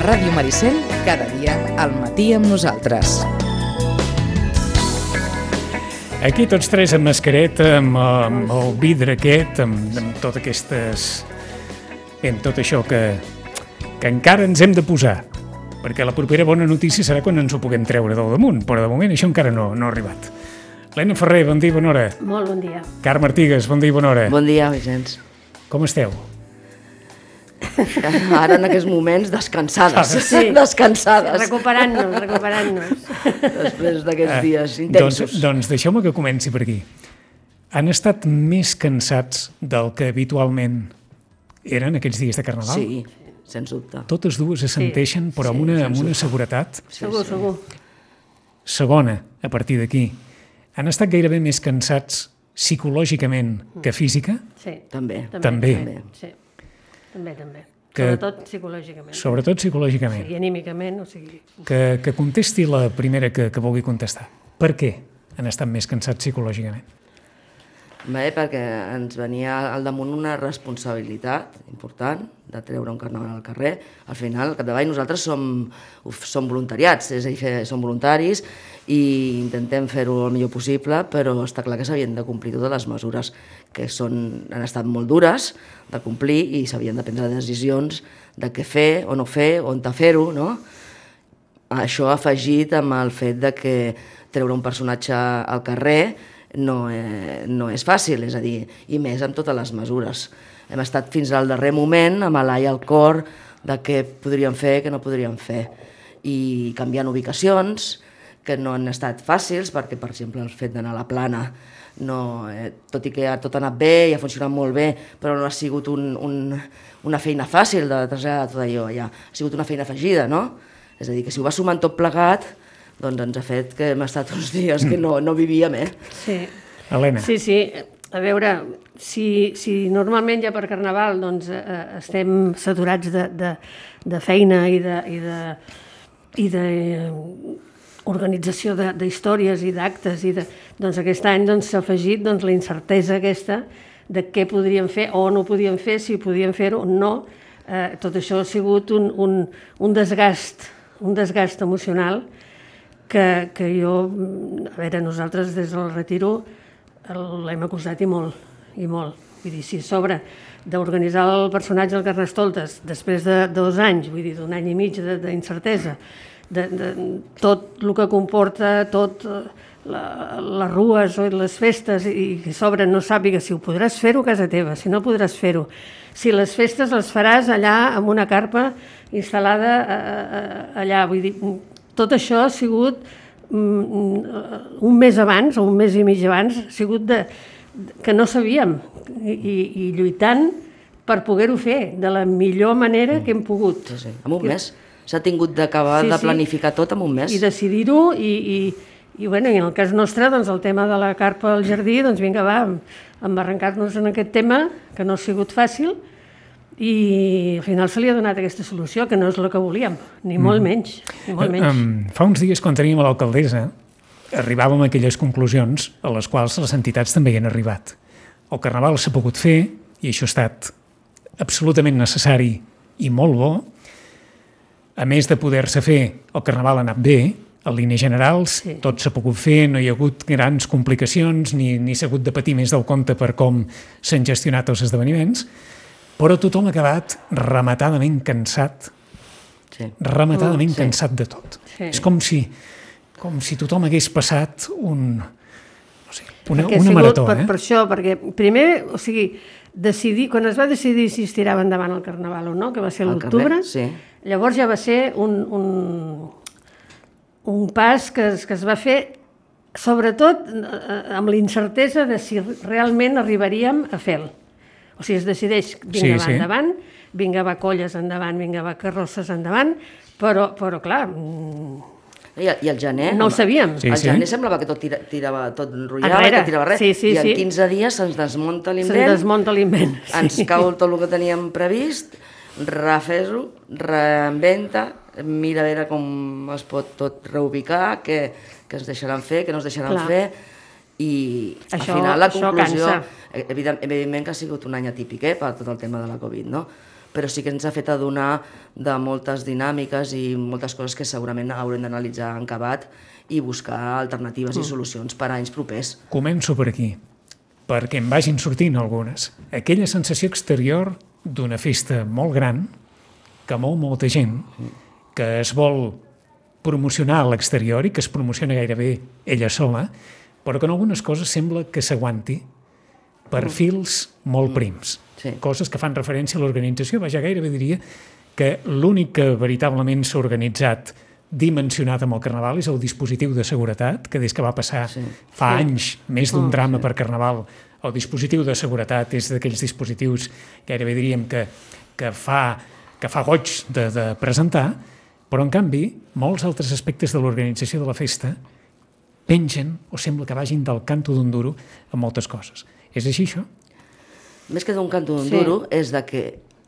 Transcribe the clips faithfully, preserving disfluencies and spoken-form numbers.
Ràdio Maricel, cada dia al matí amb nosaltres. Aquí tots tres amb mascareta, amb, amb el vidre aquest, amb, amb tot aquestes... Bé, amb tot això que, que encara ens hem de posar, perquè la propera bona notícia serà quan ens ho puguem treure del damunt, però de moment això encara no, no ha arribat. Helena Ferrer, bon dia i bona hora. Molt bon dia. Carme Artigas, bon dia i bona hora. Bon dia, Vicenç. Com esteu? Ara en aquests moments descansades, sí. descansades. Recuperant-nos, recuperant-nos. Després d'aquests Eh, dies intensos. Doncs, doncs deixeu-me que comenci per aquí. Han estat més cansats del que habitualment eren aquests dies de Carnaval? Sí, sens dubte. Totes dues assenteixen, però amb una, amb una seguretat. Segur, segur. Segona, a partir d'aquí, han estat gairebé més cansats psicològicament que física? Sí. També. També. També. Sí. També, també. Que- Sobretot psicològicament. Sobretot psicològicament. I anímicament, o sigui... Que, que contesti la primera que, que vulgui contestar. Per què han estat més cansats psicològicament? Bé, perquè ens venia al damunt una responsabilitat important de treure un carnaval al carrer. Al final, al capdavall, nosaltres som, uf, som voluntariats, és a dir, som voluntaris i intentem fer-ho el millor possible, però està clar que s'havien de complir totes les mesures que són, han estat molt dures de complir i s'havien de prendre decisions de què fer o no fer, on fer-ho, no? Això afegit amb el fet de que treure un personatge al carrer no, eh, no és fàcil, és a dir, i més amb totes les mesures. Hem estat fins al darrer moment amb l'ai al cor de què podríem fer, què no podríem fer, i canviant ubicacions, que no han estat fàcils, perquè, per exemple, el fet d'anar a la Plana, no, eh, tot i que ja tot ha anat bé i ha funcionat molt bé, però no ha sigut un, un, una feina fàcil de traslladar tot allò allà, ha sigut una feina afegida, no? És a dir, que si ho va sumant tot plegat, doncs ens ha fet que hem estat uns dies que no, no vivíem, eh? Sí. Helena. Sí, sí. A veure, si, si normalment ja per Carnaval doncs, eh, estem saturats de, de, de feina i de, i de, i de eh, organització de, d'històries i d'actes, i de, doncs aquest any doncs, s'ha afegit doncs, la incertesa aquesta de què podríem fer o no podíem fer, si podíem fer-ho o no. Eh, tot això ha sigut un, un, un desgast, un desgast emocional que, que jo, a veure, nosaltres des del retiro l'hem acusat i molt, i molt. Vull dir, si a sobre d'organitzar el personatge del Carnestoltes després de dos anys, vull dir, d'un any i mig d'incertesa, de, de, tot el que comporta, tot la, les rues o les festes, i que a sobre no sàpiga si ho podràs fer-ho a casa teva, si no podràs fer-ho, si les festes les faràs allà amb una carpa instal·lada allà, vull dir, tot això ha sigut un mes abans, o un mes i mig abans, ha sigut de, que no sabíem, i, i lluitant per poder-ho fer de la millor manera que hem pogut. Sí, sí. En un mes. S'ha tingut d'acabar Sí, de sí. planificar tot en un mes. I decidir-ho, i, i, i, bueno, i en el cas nostre, doncs, el tema de la carpa al jardí, doncs vinga, va, embarrancar-nos en aquest tema, que no ha sigut fàcil, i al final se li ha donat aquesta solució, que no és el que volíem, ni molt menys, ni molt menys. Um, fa uns dies, quan teníem a l'alcaldessa, arribàvem a aquelles conclusions a les quals les entitats també hi han arribat. El Carnaval s'ha pogut fer, i això ha estat absolutament necessari i molt bo. A més de poder-se fer, el Carnaval ha anat bé, en línies generals, Sí. tot s'ha pogut fer, no hi ha hagut grans complicacions, ni, ni s'ha hagut de patir més del compte per com s'han gestionat els esdeveniments, però tothom ha acabat rematadament cansat, Sí. rematadament Mm, sí. cansat de tot. Sí. És com si, com si tothom hagués passat un, no sé, una, Perquè ha una sigut marató. per, eh? per això, perquè primer, o sigui, decidir, quan es va decidir si es tirava endavant el Carnaval o no, que va ser a Al l'octubre, carrer, sí. llavors ja va ser un, un, un pas que es, que es va fer, sobretot eh, amb la incertesa de si realment arribaríem a fer-lo. O sigui, es decideix, vinga, Sí, va sí. endavant, vinga, va colles endavant, vinga, va carrosses endavant, però, però clar, mm, I, I el gener... no ho sabíem. Sí, El sí. gener semblava que tot tira, tirava, tot enrotllava, Enrere. que tirava res, Sí, sí, i en sí. quinze dies se'ns desmunta Se'n l'invent, desmunta l'invent. ens cau tot el que teníem previst, refes-ho, reinventa, mira a veure com es pot tot reubicar, què, què ens deixaran fer, què no ens deixaran Clar. fer, i Això- al final la això conclusió, cansa. evident, evidentment que ha sigut un any atípic, eh, per tot el tema de la Covid, no? però sí que ens ha fet adonar de moltes dinàmiques i moltes coses que segurament haurem d'analitzar en acabat i buscar alternatives mm. i solucions per a anys propers. Començo per aquí, perquè em vagin sortint algunes. Aquella sensació exterior d'una festa molt gran, que mou molta gent, que es vol promocionar a l'exterior i que es promociona gairebé ella sola, però que en algunes coses sembla que s'aguanti per mm. fils molt prims. Sí. Coses que fan referència a l'organització. Vaja, gairebé diria que l'únic que veritablement s'ha organitzat dimensionat amb el Carnaval és el dispositiu de seguretat, que des que va passar sí. fa sí. anys, més d'un oh, drama sí. per Carnaval, el dispositiu de seguretat és d'aquells dispositius, gairebé diríem que, que, fa, que fa goig de, de presentar, però en canvi molts altres aspectes de l'organització de la festa pengen o sembla que vagin del canto d'un duro en moltes coses. És així, això? Més que d'un canto d'un sí. duro, és de que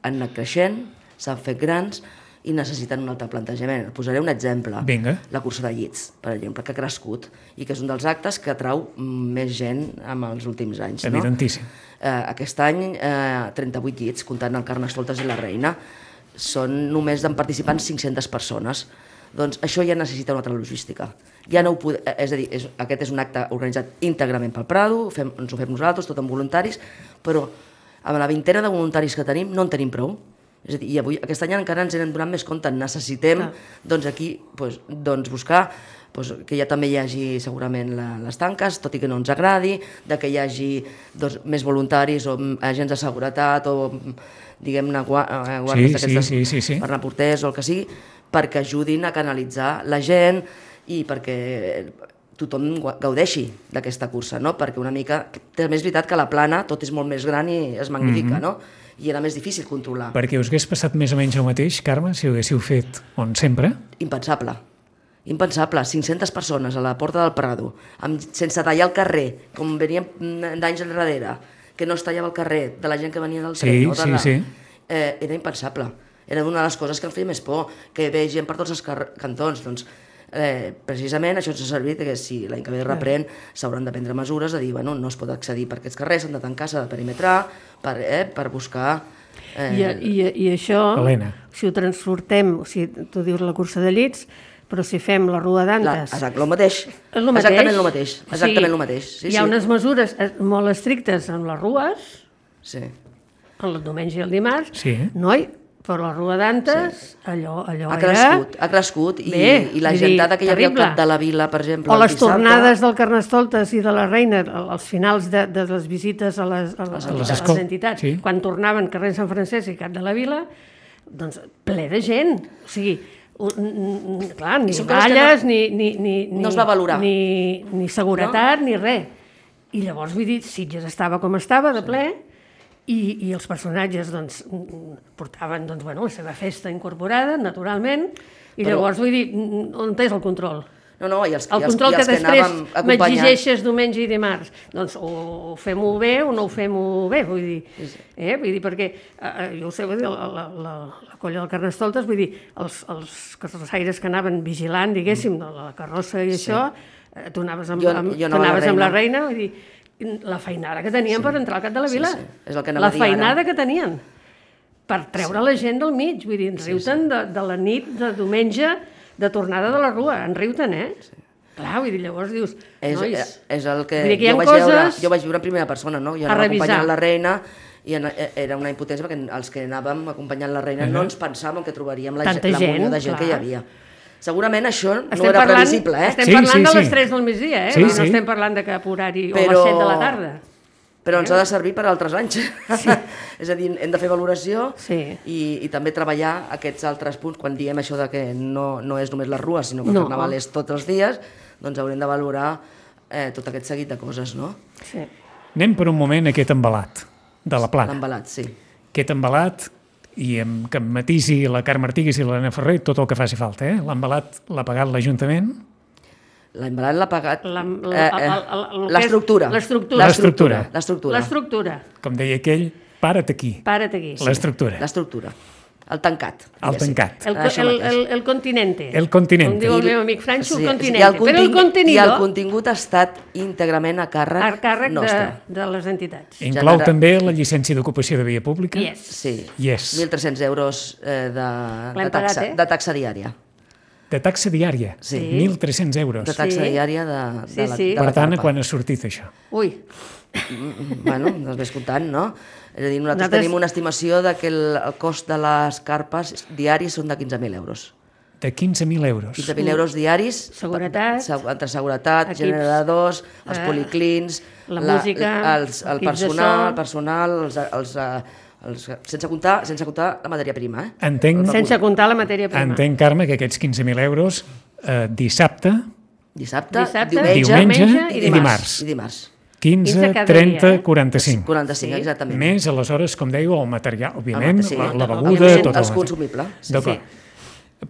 han anat creixent, s'han fet grans i necessiten un altre plantejament. Posaré un exemple. Vinga. La cursa de llits, per exemple, que ha crescut i que és un dels actes que atrau més gent en els últims anys. Evidentíssim. No? Eh, aquest any, eh, trenta-vuit llits, comptant el Carnestoltes i la Reina, són només en participants cinc-centes persones. Doncs això ja necessita una altra logística. Ja no ho pod... És a dir, és, aquest és un acte organitzat íntegrament pel Prado, fem, ens ho fem nosaltres, tot amb voluntaris, però amb la vintena de voluntaris que tenim no en tenim prou. És a dir, i avui, aquest any encara ens n'hem donat més compte, necessitem doncs aquí doncs, doncs buscar doncs, que ja també hi hagi segurament la, les tanques, tot i que no ens agradi, de que hi hagi doncs, més voluntaris o agents de seguretat o diguem-ne guàrdies sí, sí, sí, sí, sí. per anar porters o el que sigui, perquè ajudin a canalitzar la gent i perquè tothom gaudeixi d'aquesta cursa, no? Perquè una mica, també és veritat que la plana tot és molt més gran i es magnifica, mm-hmm. no? I era més difícil controlar. Perquè us hagués passat més o menys el mateix, Carme, si ho haguéssiu fet on sempre? Impensable. Impensable. cinc-centes persones a la porta del Prado, amb, sense tallar el carrer, com veníem d'anys enrere, que no es tallava el carrer de la gent que venia del tren. Sí, no? sí, la... sí. Eh, era impensable. Era una de les coses que em feia més por, que ve gent per tots els car- cantons. Doncs, eh, precisament això ens ha servit que si l'any que ve reprèn s'hauran de prendre mesures de dir, bueno, no es pot accedir per aquests carrers, s'han de tancar, s'ha de perimetrar, per, eh, per buscar... Eh... I, i, I això, Helena. Si ho transportem, o sigui, tu dius la cursa de llits, però si fem la Rua d'Antes... Exacte, el mateix. El mateix. Exactament el mateix. Exactament o sigui, el mateix. Sí, hi ha sí. unes mesures molt estrictes en les rues, sí. en el diumenge i el dimarts, sí. noi, però la Rua d'Antes, sí. allò, allò ha era... Crescut, ha crescut, i, Bé, i la gentada que hi havia al cap de la vila, per exemple... O les tornades del Carnestoltes i de la Reina, als finals de, de les visites a les, a les, a les, a les entitats, sí. Quan tornaven carrer Sant Francesc i cap de la vila, doncs ple de gent, o sigui... Clar, ni balles, no, ni, ni, ni, no es va valorar. Ni, ni seguretat, no? Ni res. I llavors, vull dir, Sitges estava com estava, de ple, i, i els personatges doncs, portaven doncs, bueno, la seva festa incorporada, naturalment, i Però... llavors, vull dir, on és el control? No, no, i els, el i els, control i els que, que després m'exigeixes diumenge i dimarts, doncs o fem-ho bé o no ho fem-ho bé, vull dir, eh? Vull dir perquè, eh, jo ho sé, vull dir, la, la, la, la colla del Carnestoltes, vull dir, els, els carrossaires que anaven vigilant, diguéssim, de la carrossa i sí. Això, eh, tu anaves amb, jo, amb, jo no anaves la amb la reina, vull dir, la feinada que tenien sí. Per entrar al cap de la vila, sí, sí. És el que la feinada ara. Que tenien, per treure sí. La gent del mig, vull dir, ens sí, riuten sí. De, de la nit de diumenge, de tornada de la Rua, en riuten, eh? Sí. Clar, vull dir, llavors dius, és, nois... És el que, que jo, vaig coses... veure, jo vaig viure en primera persona, no? Jo anava acompanyant la reina i era una impotència perquè els que anàvem acompanyant la reina uh-huh. no ens pensàvem que trobaríem la, la munió de gent clar. Que hi havia. Segurament això no estem era parlant, previsible, eh? Estem sí, parlant sí, de sí. Les tres del migdia, eh? Sí, No sí. estem parlant de cap horari Però... o a les set de la tarda. Però ens ha de servir per altres anys. Sí. És a dir, hem de fer valoració sí. i, i també treballar aquests altres punts. Quan diem això de que no, no és només la Rua, sinó que el no. Carnaval és tots els dies, doncs haurem de valorar eh, tot aquest seguit de coses, no? Sí. Anem per un moment a aquest embalat de la plana. L'embalat, sí. Aquest embalat, i amb, que em matisi la Carme Artigues i l'Helena Ferrer, tot el que faci falta. Eh? L'embalat l'ha pagat l'Ajuntament. L'embalat l'ha pagat l'estructura. L'estructura. L'estructura. L'estructura. Com deia aquell, para't aquí. Para't aquí. L'estructura. L'estructura. el tancat. El tancat. El, el, el, el continente. El continente. Com diu el meu amic Franxo, Sí, el i continente. el Però el contingut- contenidor, I el contingut ha estat íntegrament a càrrec, a càrrec de, nostre. de les entitats. Inclou Genera- també la llicència d'ocupació de via pública? Yes. Sí, Yes. mil tres-cents euros eh, de, de, L'hem taxa, pagat, eh? de taxa diària. De taxa diària? Sí. mil tres-cents euros. De taxa Sí. diària de, de Sí, la, sí. de Per la tant, carpa. quan ha sortit això? Ui, Mm, Bueno, doncs ves comptant, no? És a dir, nosaltres Nosaltres- tenim una estimació de que el, el cost de les carpes diaris són de quinze mil euros. De quinze mil euros. quinze mil euros diaris, Seguretat. se- entre seguretat, Equips, generadors, els eh, policlins, la música, els, el equips de personal, so. el personal, els, els, eh, els, sense comptar, sense comptar la matèria prima, eh? Entenc, sense comptar la matèria prima. entenc, Carme, que aquests quinze mil euros eh, dissabte, Dissabte, Dissabte, diumenge, diumenge diumenge i dimarts. i dimarts. quinze, quinze cada trenta, dia, eh? quaranta-cinc. quaranta-cinc, exactament. Més, aleshores, com dèieu, el material, òbviament, Sí, la, la beguda, òbviament, tot els el consumibles. Sí. D'acord.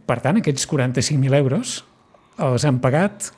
Per tant, aquests quaranta-cinc mil euros els han pagat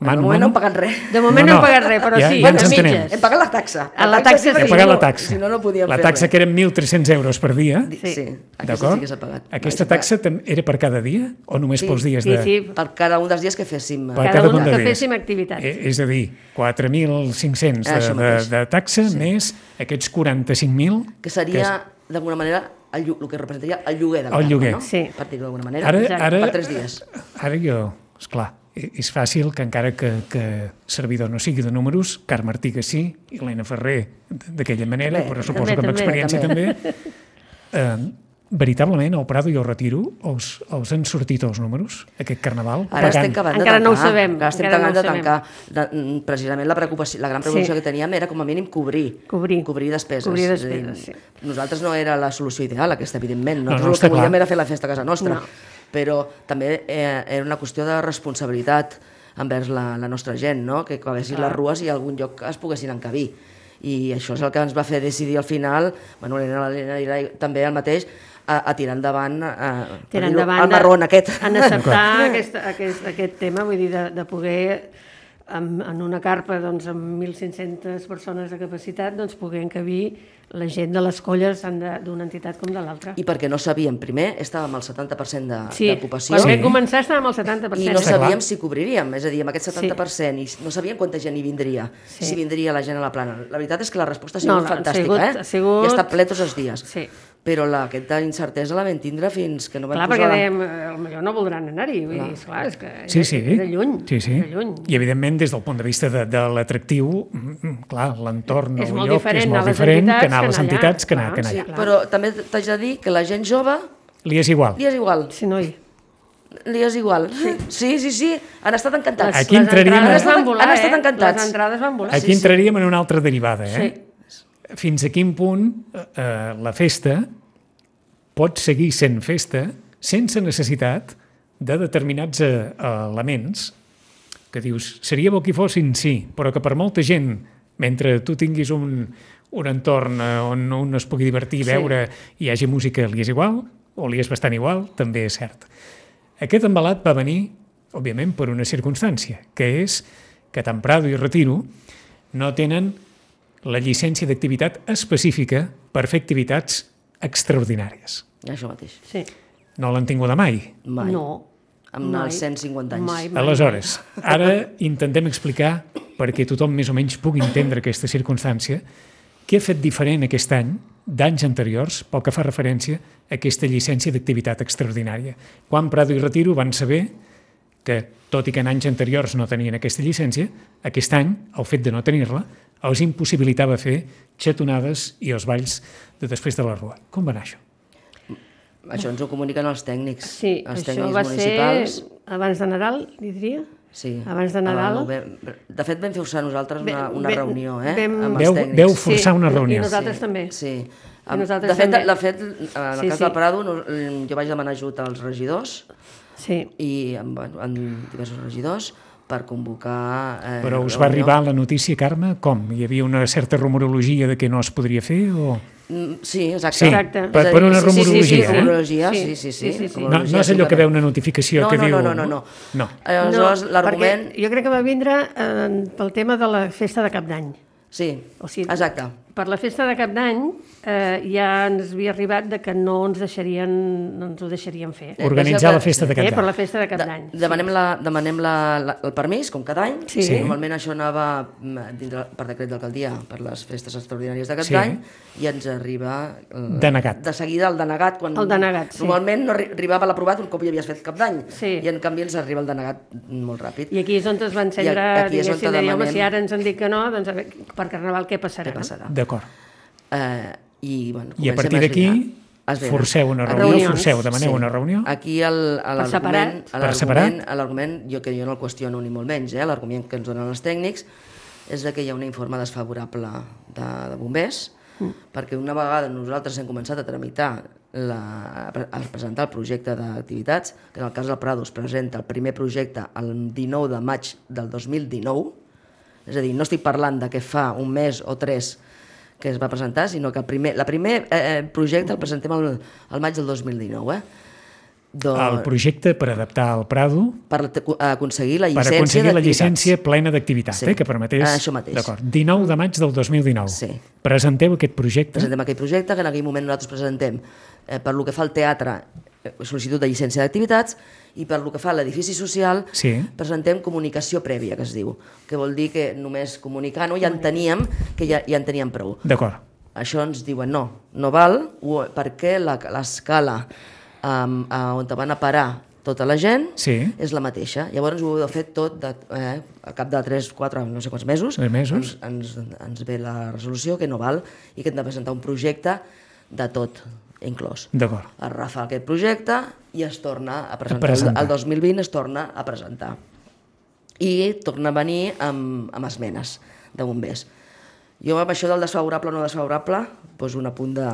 De mano a moment no mano. hem pagat res. De moment no, No, hem no. pagat res, però Ja- sí, ja de ens entenem. mitges. Hem pagat la taxa. A la taxa sí, sí. He si pagat no- la taxa. Si no, no podíem la fer taxa res. que eren mil tres-cents euros per dia. Sí, Sí. sí. Aquesta D'acord? sí que s'ha pagat. Aquesta S'ha pagat. taxa tam- era per cada dia o només Sí. pels dies Sí, de... sí, Per cada un dels dies que féssim. Per cada, cada un un de que dies. féssim activitat. Eh, És a dir, quatre mil cinc-cents de, Això de, mateix. de taxa més aquests quaranta-cinc mil. Que seria, d'alguna manera, el, llo- el que representaria el lloguer de la El carpa, lloguer. no? Sí. Per dir-ho d'alguna manera. Ara, Exacte. ara, Per tres dies. Ara jo, esclar, eh, és fàcil que encara que, que servidor no sigui de números, Carme Artiga sí, i l'Helena Ferrer d'aquella manera, També, però suposo també, que amb també, experiència també. Eh, veritablement, al Prado i al Retiro, els, els han sortit els números, aquest carnaval? Ara Pagant- estem acabant de Encara tancar. no ho sabem, Encara estem encara no acabant de ho sabem. tancar. De, mm, precisament la, preocupació, la gran preocupació Sí. que teníem era, com a mínim, cobrir. Cobrir. Cobrir despeses. Cobrir És a dir, despeses, sí. Nosaltres no era la solució ideal, aquesta, evidentment. No, Nosaltres no, el està que volíem clar. era fer la festa a casa nostra. No. Però també eh, era una qüestió de responsabilitat envers la, la nostra gent, no? Que acabessin les rues i a algun lloc es poguessin encabir. I això és el que ens va fer decidir al final, bueno, l'Helena i també el mateix, a, a tirar endavant, a, a Tirar dir-ho, endavant el marrón aquest. en acceptar aquest, aquest, aquest tema, vull dir, de, de poder en, en una carpa doncs, amb mil cinc-centes persones de capacitat doncs, poder encabir la gent de les colles tant de- d'una entitat com de l'altra. I perquè no sabíem, primer estàvem al setanta per cent de- Sí, d'ocupació quan Sí. vam començar estàvem al setanta per i cent. no Està clar. sabíem si cobriríem, és a dir, amb aquest setanta per cent, i no sabíem quanta gent hi vindria, Sí. si vindria la gent a la plana. La veritat és que la resposta ha No, sigut no, ha fantàstica, sigut- eh? ha sigut- I ha estat ple tots els dies. Sí. Però la, aquesta incertesa la vam tindre fins que no vam Clar, posar... perquè la... dèiem, eh, potser no voldran anar-hi, vull dir, esclar, és que Sí, sí. és de lluny, Sí, sí. és de lluny. I, evidentment, des del punt de vista de, de l'atractiu, mm, mm, clar, l'entorn, És el molt lloc, diferent és anar molt a les diferent que entitats anar a que les anar allà. entitats que anar, Clar, que anar sí, allà. clar. Però també t'haig de dir que la gent jove Li és igual. li és igual. Sí, noi. Li és igual. Sí, sí, sí, sí. Han estat encantats. Aquí les entraríem entrades a- van volar, Han estat eh? encantats. Les entrades van volar. Aquí entraríem en una altra derivada, eh? Sí. Fins a quin punt eh, la festa pot seguir sent festa sense necessitat de determinats eh, elements que dius, seria bo que hi fossin, sí, però que per molta gent, mentre tu tinguis un, un entorn eh, on un es pugui divertir, Sí. veure, i hi hagi música, li és igual, o li és bastant igual, també és cert. Aquest embalat va venir, òbviament, per una circumstància, que és que tant Prado i Retiro no tenen la llicència d'activitat específica per fer activitats extraordinàries. Això mateix. Sí. No l'han tinguda mai. Mai. No. Amb mai. els cent cinquanta anys. Mai, mai. Aleshores, ara intentem explicar, perquè tothom més o menys pugui entendre aquesta circumstància, què ha fet diferent aquest any d'anys anteriors pel que fa referència a aquesta llicència d'activitat extraordinària. Quan Prado i Retiro van saber que, tot i que en anys anteriors no tenien aquesta llicència, aquest any, el fet de no tenir-la, els impossibilitava fer xatonades i els balls de després de la rua. Com va anar això? Això ens ho comuniquen els tècnics. Sí, els això tècnics va municipals. ser abans de Nadal, li diria? Sí. abans de Nadal. Ah, vam- De fet, vam forçar nosaltres una, Vam- una vam- reunió, eh? vam- amb Veu- els tècnics. veu forçar una reunió. I nosaltres també. Sí. I nosaltres de, fet, també. de fet, en el Sí, cas sí. del Prado, no- jo vaig demanar ajut als regidors Sí. i en, bueno, en diversos regidors per convocar... Eh, Però us va reunió. arribar la notícia, Carme? Com? Hi havia una certa rumorologia de que no es podria fer? O... Mm, Sí, exacte. Sí, Exacte. per- És a per dir, una sí, sí, sí, rumorologia, Sí, eh? rumorologia, Sí, sí, sí, sí. sí, sí, sí. No, rumorologia, no és allò que simplement. veu una notificació no, que no, diu... No, no, no, no. no. Aleshores, no, l'argument... perquè jo crec que va vindre eh, pel tema de la festa de Cap d'Any. Sí, O sigui, exacte. per la festa de Cap d'Any eh, ja ens havia arribat de que no ens deixarien, no ens ho deixarien fer. Organitzar la festa de Cap Eh, per la d'Any. festa de Cap d'Any. De, demanem la, demanem la, la, el permís, com cada any. Sí. Sí. Normalment això anava mm, dintre, per decret d'alcaldia per les festes extraordinàries de Cap Sí. d'Any i ens arriba eh, Denegat. de seguida el denegat. Quan, El denegat, sí. Normalment no arri- arribava l'aprovat un cop ja havies fet Cap d'Any Sí. i en canvi ens arriba el denegat molt ràpid. I aquí és on es va encendre, I aquí és on diguéssim, de dir, home, demanem- si ara ens han dit que no, doncs a veure, per Carnaval què passarà? Què passarà? D'acord. Eh, i, bueno, I a comencem partir d'aquí esbrinar. Esbrinar. forceu una A reunió, reunions. forceu, demaneu una reunió. Aquí el- separat. l'argument, Per separat. l'argument, l'argument, jo que jo no el qüestiono ni molt menys, eh, l'argument que ens donen els tècnics és de que hi ha un informe desfavorable de, de bombers, mm. perquè una vegada nosaltres hem començat a tramitar la, a presentar el projecte d'activitats, que en el cas del Prado es presenta el primer projecte el dinou de maig del dos mil dinou, és a dir, no estic parlant de que fa un mes o tres que es va presentar, sinó que el primer, la primer eh, projecte el presentem al, al maig del dos mil dinou. Eh? Doncs, El projecte per adaptar el Prado per te- aconseguir la per llicència aconseguir la d'activitats. llicència plena d'activitat, Sí. eh, que permetés... Això mateix. D'acord. dinou de maig del dos mil dinou. Sí. Presenteu aquest projecte. Presentem aquell projecte, que en aquell moment nosaltres presentem eh, per lo que fa al teatre eh, sol·licitud de llicència d'activitats i per lo que fa a l'edifici social Sí. presentem comunicació prèvia, que es diu, que vol dir que només comunicant-ho ja enteníem que ja, ja en teníem prou. D'acord. Això ens diuen no, no val, ho- perquè la- l'escala um, on te van a parar tota la gent Sí. és la mateixa. Llavors ho heu fet tot de, eh, al cap de tres, quatre, no sé quants mesos, Tres mesos. Ens, ens, ens ve la resolució que no val i que hem de presentar un projecte de tot inclòs. D'acord. Es refà aquest projecte i es torna a presentar. presentar. El dos mil vint es torna a presentar. I torna a venir amb, amb esmenes de bombers. Jo amb això del desfavorable o no desfavorable poso un apunt de,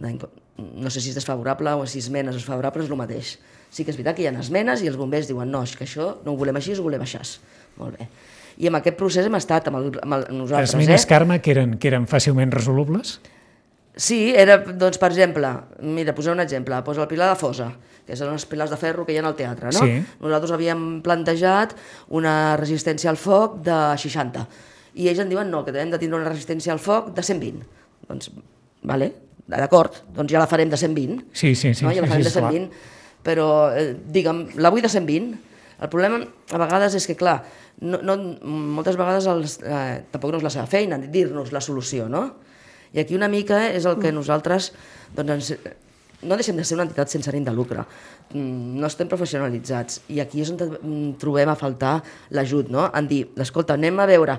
de... No sé si és desfavorable o si esmenes desfavorables, és el mateix. Sí que és veritat que hi ha esmenes i els bombers diuen no, és que això no ho volem així, ho volem així. Molt bé. I amb aquest procés hem estat amb, el, amb el, nosaltres. Esmenes, eh? Carme, que eren, que eren fàcilment resolubles? Sí, era, doncs, per exemple, mira, posar un exemple, posa el pilar de fosa, que són els pilars de ferro que hi ha al teatre, no? Sí. Nosaltres havíem plantejat una resistència al foc de seixanta, i ells en diuen no, que hem de tindre una resistència al foc de cent vint. Doncs, vale, d'acord, doncs ja la farem de cent vint, Sí, sí, sí. no? Ja la sí, farem sí, de cent clar. vint, però, eh, digue'm, la vull de cent vint. El problema a vegades és que, clar, no, no, moltes vegades els, eh, tampoc no és la seva feina dir-nos la solució, no? I aquí una mica és el que nosaltres doncs, ens, no deixem de ser una entitat sense ànim de lucre, Mm, no estem professionalitzats i aquí és on mm, trobem a faltar l'ajut, no? En dir, escolta, anem a veure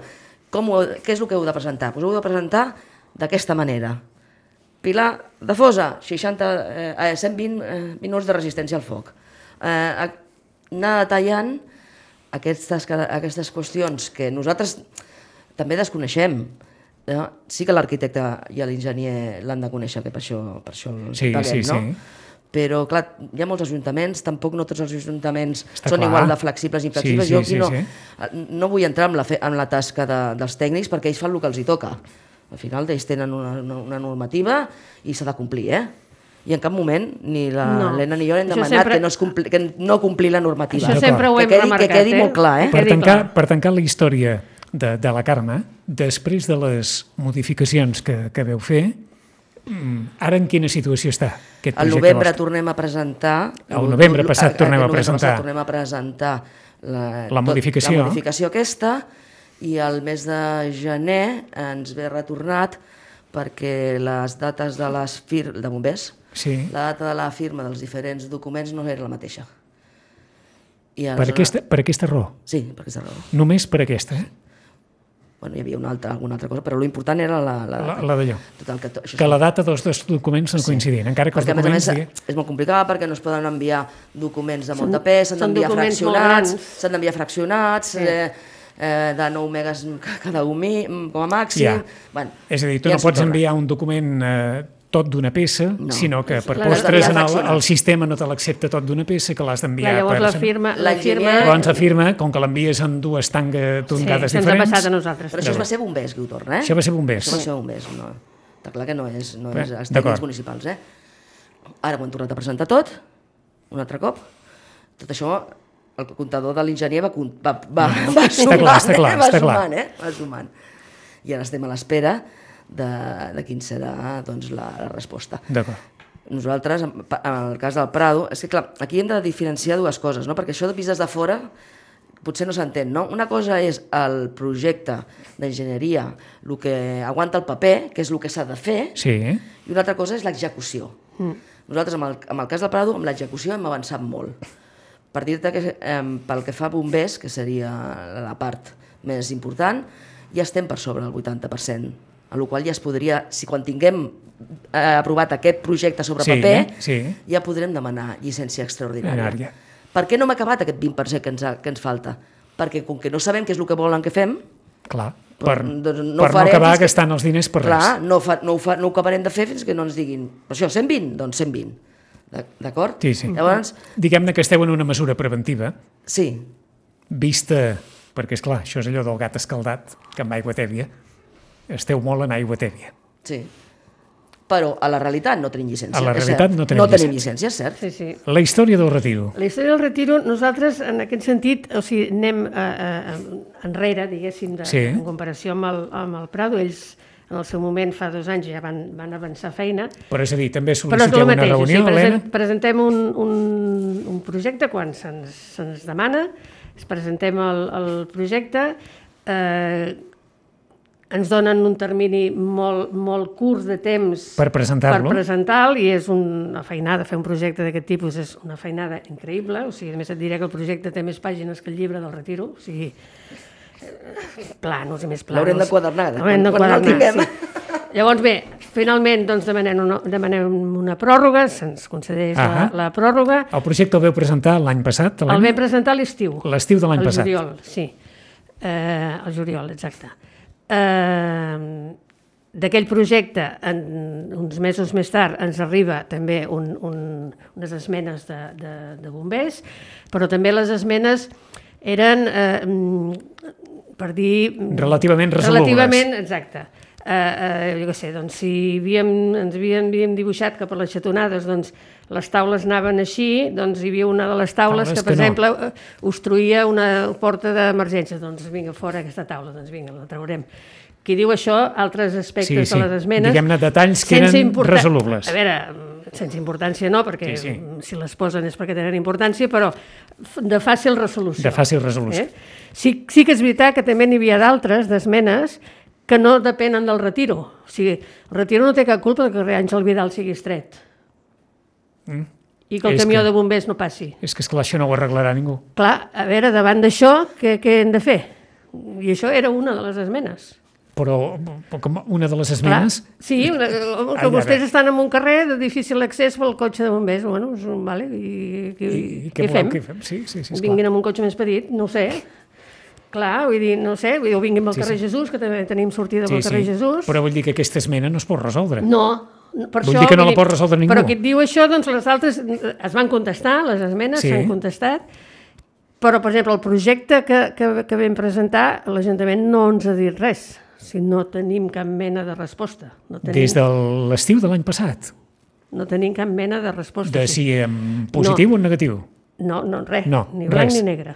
com ho, què és el que heu de presentar. Pues ho heu de presentar d'aquesta manera. Pilar de fosa, seixanta, eh, cent vint eh, minuts de resistència al foc. Eh, anar detallant aquestes, aquestes qüestions que nosaltres també desconeixem. No? Sí que l'arquitecte i l'enginyer l'han de conèixer, que per això, per això el Sí, paguem, sí, no? sí. Però, clar, hi ha molts ajuntaments, tampoc no tots els ajuntaments Està són clar. igual de flexibles i inflexibles. Sí, sí, Jo aquí sí, no, sí. no vull entrar en la, fe, en la tasca de, dels tècnics perquè ells fan el que els hi toca. Al final ells tenen una, una, una normativa i s'ha de complir, eh? I en cap moment ni l'Helena No. ni jo hem Això demanat sempre- que, no es compli, que no complir la normativa. Això sempre ho que hem quedi, remarcat, que quedi eh? molt clar, eh? Que Per quedi tancar, clar. per tancar la història de, de la Carme, després de les modificacions que, que veu fer, mm, ara en quina situació està aquest Al projecte novembre vostre? tornem a presentar... Al novembre passat a- a- tornem a al novembre presentar. passat tornem a presentar la, La modificació. la modificació aquesta i al mes de gener ens ve retornat perquè les dates de les fir de bombers, Sí. la data de la firma dels diferents documents no era la mateixa. I Per aleshores- aquesta, per aquesta raó. Sí, per aquesta raó. Només per aquesta, eh? Bueno, hi havia una altra, alguna altra cosa, però l'important era la, la, La, la d'allò. Total, que, to, això Que la data dels dos documents no coincidien, encara que els perquè a més a documents... més digui- és molt complicat perquè no es poden enviar documents de molt de pes, s'han són d'enviar documents molt fraccionats, grans. s'han d'enviar fraccionats, Sí. eh, eh, de nou megas cada un mi, com a màxim. Ja. Bueno, És a dir, tu ja no ens ho pots torna. enviar un document eh, tot d'una peça, No. sinó que per L'has postres en d'enviar el, fraccionat. el sistema no te l'accepta tot d'una peça, que l'has Clar, d'enviar llavors per... la firma, la L'enginyer- firma... Llavors la firma, com que l'envies en dues tanga Sí, tongades se'ns ha diferents... passat a nosaltres. Però això es va ser bombers, que ho torna, eh? Això va ser bombers. Això va ser bombers, no. Està clar que no és, no Bé, és els d'acord. tècnics municipals, eh? Ara ho hem tornat a presentar tot, un altre cop. Tot això, el comptador de l'enginyer va, compt- va, va, va Està sumant, clar, està clar, eh? va està clar. sumant, eh? Va sumant. I ara estem a l'espera de, de quin serà doncs, la, la resposta. D'acord. Nosaltres, en el cas del Prado, és que clar, aquí hem de diferenciar dues coses, no? Perquè això de vistes de fora potser no s'entén, no? Una cosa és el projecte d'enginyeria, el que aguanta el paper, que és el que s'ha de fer, sí. I una altra cosa és l'execució. Mm. Nosaltres, amb el, amb el cas del Prado, amb l'execució hem avançat molt. Per dir-te que eh, pel que fa a bombers, que seria la part més important, ja estem per sobre del vuitanta per cent, a la qual ja es podria, si quan tinguem eh, aprovat aquest projecte sobre sí, paper, sí. ja podrem demanar llicència extraordinària. Enària. Per què no hem acabat aquest vint per cent que ens, ha, que ens falta? Perquè com que no sabem què és el que volen que fem, clar, per, doncs no, per no acabar que, gastant els diners per clar, res. No, fa, no, ho fa, no ho acabarem de fer fins que no ens diguin, per això, cent vint? Doncs cent vint. D'acord? Sí, sí. Llavors, diguem-ne que esteu en una mesura preventiva. Sí. Vista, perquè és clar, això és allò del gat escaldat, que amb aigua tèbia, esteu molt en aigua tèbia. Sí. Però a la realitat no tenim llicència. A la realitat no tenim no llicència. tenim llicència, és cert. Sí, sí. La història del retiro. La història del retiro, nosaltres, en aquest sentit, o sigui, anem a, a, enrere, diguéssim, de, sí. en comparació amb el, amb el Prado. Ells, en el seu moment, fa dos anys, ja van, van avançar feina. Però és a dir, també sol·liciteu una reunió, o sigui, present, Helena? Presentem un, un, un projecte quan se'ns se demana, presentem el, el projecte, eh, ens donen un termini molt, molt curt de temps per presentar-lo, per presentar-lo, i és una feinada, fer un projecte d'aquest tipus és una feinada increïble, o sigui, a més et diré que el projecte té més pàgines que el llibre del retiro, o sigui, planos i més planos. L'haurem de quadernar, L'haurem de quadernar, no sí. Llavors, bé, finalment doncs, demanem, una, demanem una pròrroga, se'ns concedeix la, la pròrroga. El projecte el veu presentar l'any passat? El vam presentar a l'estiu. L'estiu de l'any passat. El juliol, sí. Eh, el juliol, exacte. Eh, d'aquell projecte, en, uns mesos més tard, ens arriba també un, un, unes esmenes de, de, de bombers, però també les esmenes eren, eh, per dir... Relativament resolubles. Relativament, exacte. Eh, eh, jo què sé, doncs si havíem, ens havíem, havíem dibuixat que per les xatonades doncs, les taules anaven així, doncs hi havia una de les taules, taules que, per que exemple, no. obstruïa una porta d'emergència. Doncs vinga, fora aquesta taula, doncs vinga, la traurem. Qui diu això, altres aspectes sí, sí. de les esmenes... Diguem-ne detalls que eren importan... resolubles. A veure, sense importància no, perquè sí, sí. si les posen és perquè tenen importància, però de fàcil resolució. De fàcil resolució. Eh? Sí, sí que és veritat que també n'hi havia d'altres, d'esmenes, que no depenen del retiro. O sigui, el retiro no té cap culpa que el carrer Àngel Vidal sigui estret. Mm. I que el és camió que, de bombers no passi. És que, esclar, això no ho arreglarà ningú. Clar, a veure, davant d'això, què, què hem de fer? I això era una de les esmenes. Però com una de les esmenes... Clar, sí, una, que Ai, vostès estan en un carrer de difícil accés pel cotxe de bombers. Bueno, vale, i, i, I, i què fem? Què fem? Sí, sí, sí, vinguin amb un cotxe més petit, no ho sé. Clar, vull dir, no sé, o vinguin pel sí, carrer sí. Jesús, que també tenim sortida pel sí, carrer sí. Jesús. Però vull dir que aquesta esmena no es pot resoldre. No, per vull això... dir que no la pot resoldre ningú. Però qui et diu això, doncs les altres es van contestar, les esmenes s'han sí. contestat, però, per exemple, el projecte que, que, que vam presentar, l'Ajuntament no ens ha dit res, si no tenim cap mena de resposta. No tenim... Des de l'estiu de l'any passat? No tenim cap mena de resposta. De si en positiu no. o en negatiu? No, no, res, no, ni blanc res. ni negre.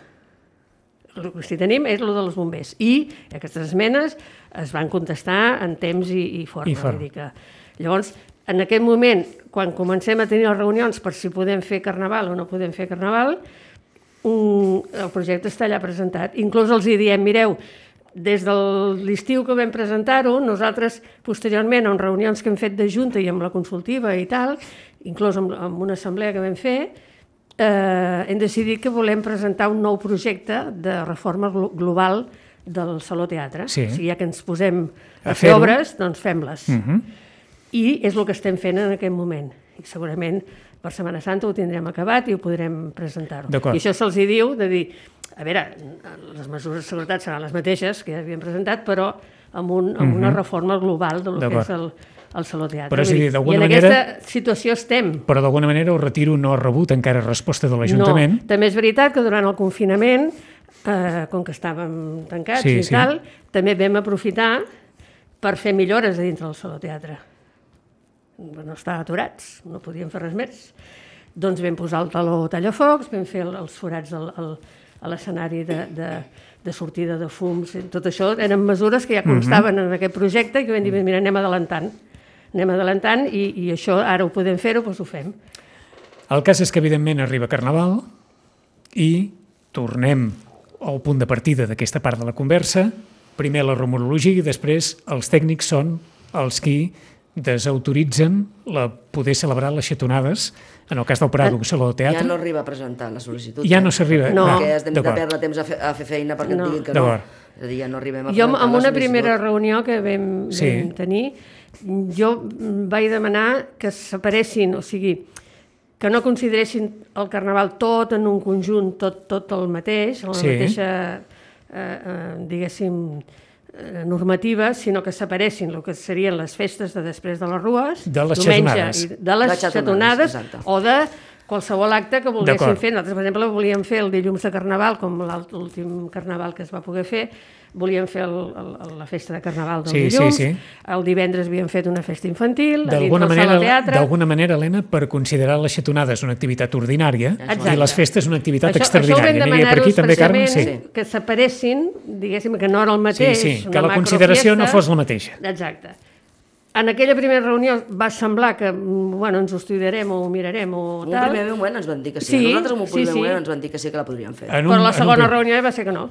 El que sí tenim és el dels bombers. I aquestes esmenes es van contestar en temps i, i forma. I forma. Vull dir que... Llavors, en aquest moment, quan comencem a tenir les reunions per si podem fer carnaval o no podem fer carnaval, un, el projecte està allà presentat. Inclús els hi diem, mireu, des de l'estiu que vam presentar-ho, nosaltres posteriorment, en reunions que hem fet de Junta i amb la consultiva i tal, inclús amb, amb una assemblea que vam fer, Eh, hem decidit que volem presentar un nou projecte de reforma global del Saló Teatre. Sí. O sigui, ja que ens posem a, a fer obres, doncs fem-les. Uh-huh. I és el que estem fent en aquest moment. I segurament per Setmana Santa ho tindrem acabat i ho podrem presentar-ho. I això se'ls hi diu de dir, a veure, les mesures de seguretat seran les mateixes que ja havíem presentat, però amb, un, amb uh-huh. una reforma global del que és el... al Saló Teatre. Però, dir, I en manera, aquesta situació estem. Però d'alguna manera el retiro no ha rebut encara resposta de l'Ajuntament. No, també és veritat que durant el confinament, eh, com que estàvem tancats sí, i sí. tal, també vam aprofitar per fer millores a dintre del Saló Teatre. No estàvem aturats, no podíem fer res més. Doncs vam posar el taló tallafocs, vam fer els forats al, al, a l'escenari de, de, de sortida de fums, tot això eren mesures que ja constaven mm-hmm. en aquest projecte i que vam dir, mira, anem adelantant, anem adelantant i, i això ara ho podem fer-ho, doncs ho fem. El cas és que, evidentment, arriba Carnaval i tornem al punt de partida d'aquesta part de la conversa. Primer la rumorologia i després els tècnics són els qui desautoritzen la, poder celebrar les xatonades, en el cas del Prado, Saló de Teatre. Ja no arriba a presentar la sol·licitud. Ja no s'arriba. No. Perquè has de perdre temps a fer, a fer feina perquè no. et diguin que no. És a dir, ja no arribem a jo, presentar en una la primera reunió que vam, sí. vam tenir, jo vaig demanar que es separessin, o sigui, que no consideressin el Carnaval tot en un conjunt, tot, tot el mateix, la sí. mateixa, eh, eh, diguéssim, normativa, sinó que separessin el que serien les festes de després de les rues, de les diumenge, xatonades, i de les xatonades, o de qualsevol acte que volguessin fer. Nosaltres, per exemple, volíem fer el dilluns de Carnaval, com l'últim Carnaval que es va poder fer, volíem fer el, el, la festa de Carnaval del sí, dilluns, sí, sí. el divendres havíem fet una festa infantil, a dins del Sala Teatre. D'alguna manera, Helena, per considerar les xatonades una activitat ordinària Exacte. I les festes una activitat això, extraordinària. Això ho vam demanar-ho expressament, sí. que separessin, diguéssim, que no era el mateix, sí, sí, que la consideració no fos la mateixa. Exacte. En aquella primera reunió va semblar que, bueno, ens ho estudiarem o ho mirarem o tal. En un primer moment ens van dir que sí. sí Nosaltres en un primer sí, sí. moment ens van dir que sí que la podríem fer. Un, Però la segona un... reunió va ser que no.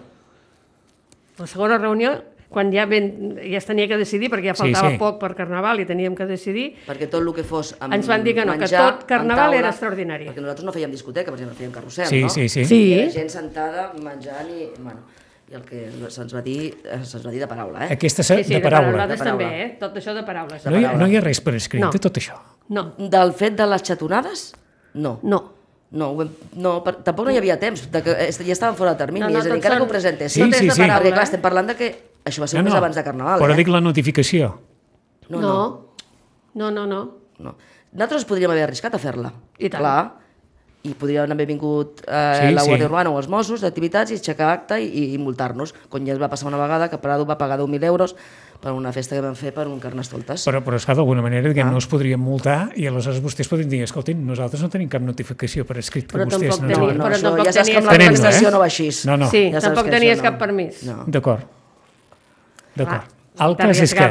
La segona reunió, quan ja, ben, ja es tenia que decidir, perquè ja faltava sí, sí. poc per Carnaval i teníem que decidir... Perquè tot el que fos amb ens van dir que no, menjar, que tot Carnaval taula, era extraordinari. Perquè nosaltres no fèiem discoteca, per exemple, fèiem carrusel, sí, no? Sí, sí, sí. I la gent sentada, menjant i... Bueno, i el que se'ns va dir, se'ns va dir de paraula, eh? Aquesta sí, sí, de, de paraula. De paraula. També, eh? Tot això de paraules. No hi, ha, no hi ha res per escrit no. de tot això? No. Del fet de les xatonades? No. No. No, no per, tampoc no hi havia temps, de que ja estaven fora de termini, no, no, és a dir, encara són... que ho presentessin. Sí, sí, sí. Perquè, clar, estem parlant de que això va ser no, un mes no, abans de Carnaval. Però eh? dic la notificació. No, no. No, no, no. no. Nosaltres podríem haver arriscat a fer-la. I tant. Clar, i podrien haver vingut eh, sí, la Guàrdia sí. Urbana o els Mossos d'activitats i aixecar acte i, i multar-nos, com ja es va passar una vegada que Prado va pagar deu mil euros per una festa que vam fer per un Carnestoltes. Però, però esclar, d'alguna manera, diguem, ah. no es podrien multar i aleshores vostès podrien dir, escoltin, nosaltres no tenim cap notificació per escrit que però vostès no... Tenia, no, no, però això, tampoc ja saps que amb l'administració no va així. No, no. Sí, ja tampoc tenies cap permís. No. D'acord. D'acord. El, cas és que,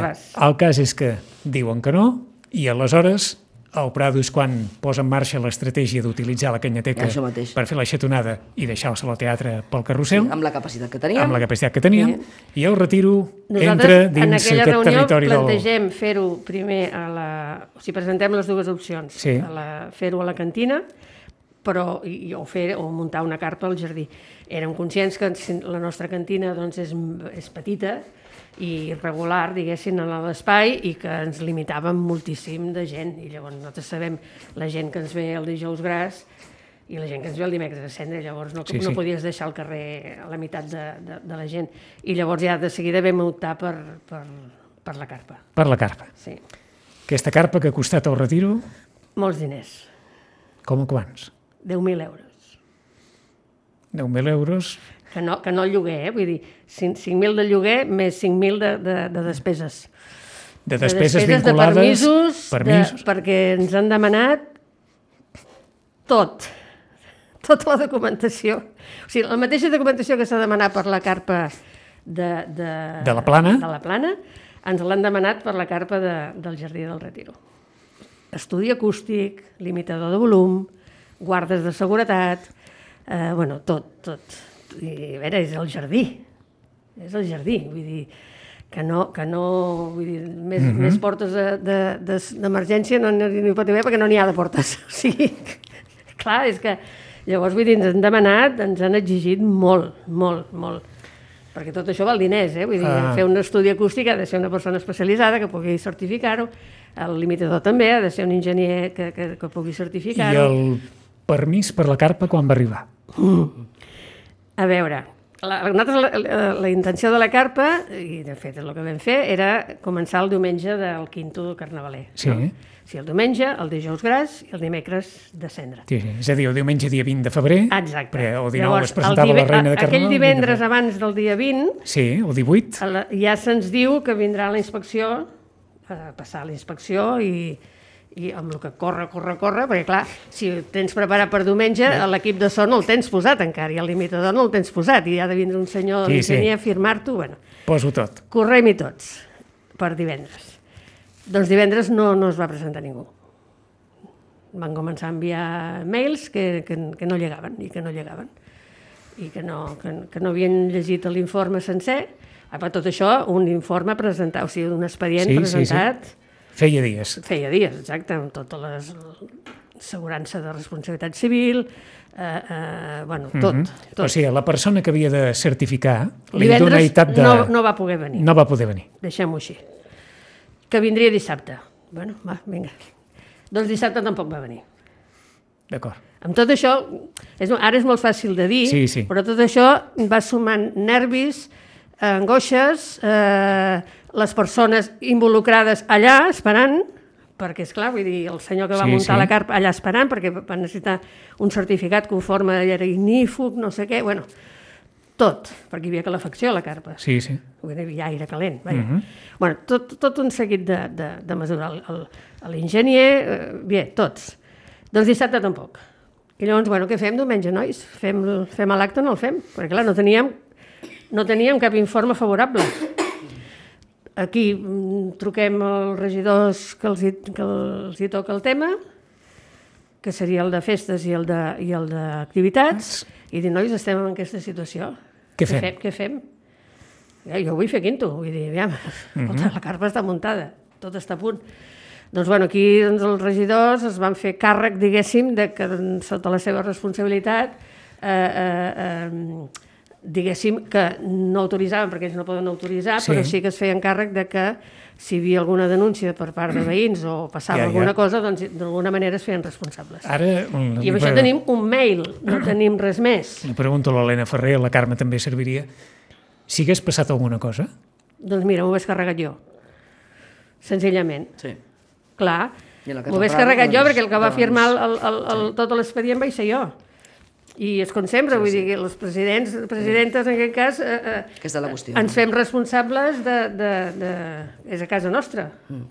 el cas és que diuen que no i aleshores el Prado és quan posa en marxa l'estratègia d'utilitzar la canyateca per fer la xatonada i deixar el Saló Teatre pel carrusel. Sí, amb la capacitat que teníem. Amb la capacitat que teníem. Sí. I el Retiro Nosaltres, entra dins aquest territori del... En aquella reunió plantegem fer-ho primer a la... O sigui, presentem les dues opcions. Sí. Fer-ho a la cantina però, i, o, fer, o muntar una carpa al jardí. Érem conscients que la nostra cantina doncs, és, és petita i regular, diguéssim, a l'espai i que ens limitàvem moltíssim de gent. I llavors nosaltres sabem la gent que ens ve el dijous gras i la gent que ens ve el dimecres a cendre, llavors no, sí, no sí. podies deixar el carrer a la meitat de, de, de la gent. I llavors ja de seguida vam optar per, per, per la carpa. Per la carpa. Sí. Aquesta carpa que ha costat el Retiro? Molts diners. Com a quants? deu mil euros. deu mil euros... Que no, que no el lloguer, eh? Vull dir, cinc mil de lloguer més cinc mil de, de, de despeses. De despeses, de despeses vinculades... De permisos, permisos. De, perquè ens han demanat tot, tota la documentació. O sigui, la mateixa documentació que s'ha demanat per la carpa de, de, de la Plana, de la Plana ens l'han demanat per la carpa de, del Jardí del Retiro. Estudi acústic, limitador de volum, guardes de seguretat, eh, bueno, tot, tot. I a veure, és el jardí, és el jardí, vull dir, que no, que no, vull dir, més, mm-hmm. més portes d'emergència de, de, no n'hi pot haver perquè no n'hi ha de portes, o sigui, clar, és que, llavors, vull dir, ens han demanat, ens han exigit molt, molt, molt, perquè tot això val diners, eh, vull dir, ah. fer un estudi acústic ha de ser una persona especialitzada que pugui certificar-ho, el limitador també ha de ser un enginyer que, que, que pugui certificar-ho. I el permís per la carpa quan va arribar? Mm. A veure, la, la, la, la intenció de la carpa, i de fet el que vam fer, era començar el diumenge del quinto carnavaler. Sí. No? O sigui, el diumenge, el dijous gras i el dimecres de cendre. Sí, sí. És a dir, el diumenge dia vint de febrer, exacte. El dinou Llavors, es presentava dive, la Reina de Carnaval. Aquell divendres abans del dia vint, sí, el divuit, ja se'ns diu que vindrà la inspecció, a passar la inspecció i, i amb el que corre, corre, corre, perquè clar, si ho tens preparat per diumenge, l'equip de so no el tens posat encara, i el limitador no el tens posat, i ha de vindre un senyor Sí, sí, sí. a firmar-t'ho, bueno. Poso tot. Correm-hi tots, per divendres. Doncs divendres no, no es va presentar ningú. Van començar a enviar mails que, que, que no llegaven, i que no llegaven, i que no, que, que no havien llegit l'informe sencer. Ah, per tot això, un informe presentat, o sigui, un expedient Sí, sí, presentat... sí. Feia dies. Feia dies, exacte, amb tota l'assegurança de responsabilitat civil, eh, eh, bueno, tot, Mm -hmm. tot. O sigui, la persona que havia de certificar li Divendres dona etat de... no, no va poder venir, No va poder venir. deixem-ho així. Que vindria dissabte. Bueno, va, vinga. Doncs dissabte tampoc va venir. D'acord. Amb tot això, és, ara és molt fàcil de dir, Sí, sí. però tot això va sumant nervis, angoixes, eh, les persones involucrades allà esperant, perquè, esclar, vull dir, el senyor que va Sí, muntar sí. la carpa allà esperant, perquè va necessitar un certificat conforme era ignífug, no sé què, bueno, tot, perquè hi havia calefacció a la carpa. Sí, sí. Vull dir, ja aire calent. Vaja. Mhm. Bueno, tot, tot un seguit de, de, de mesures. El- el- L'enginyer, eh, bé, tots. Doncs dissabte tampoc. I llavors, bueno, què fem diumenge, nois? Fem, fem l'acte o no el fem? Perquè, clar, no teníem, no teníem cap informe favorable. Aquí mm, truquem als regidors que els, hi, que els hi toca el tema, que seria el de festes i el de- i el d'activitats, i dir, nois, estem en aquesta situació. Què fem? Què fem? Ja, jo vull fer quinto, vull dir, aviam, escolta, la carpa està muntada, tot està a punt. Doncs, bueno, aquí doncs, els regidors es van fer càrrec, diguéssim, de que doncs, sota la seva responsabilitat, eh, eh, eh, diguéssim, que no autoritzaven, perquè ells no poden autoritzar, Sí. però sí que es feien càrrec de que si hi havia alguna denúncia per part de veïns o passava Ja, ja. alguna cosa, doncs d'alguna manera es feien responsables. Ara... I amb això tenim un mail, no tenim res més. Li pregunto a l'Helena Ferrer, a la Carme també serviria. Si hagués passat alguna cosa, Doncs mira, m'ho hagués carregat jo, senzillament. Sí. Clar, I en la m'ho hagués Casa carregat Prada, jo, doncs, perquè el que va doncs, firmar el, el, el, el, tot l'expedient vaig ser jo. I és com sempre, vull dir que els presidents, presidentes, en aquest cas, eh, eh, Aquesta és la qüestió. ens fem responsables de, de, de... És a casa nostra,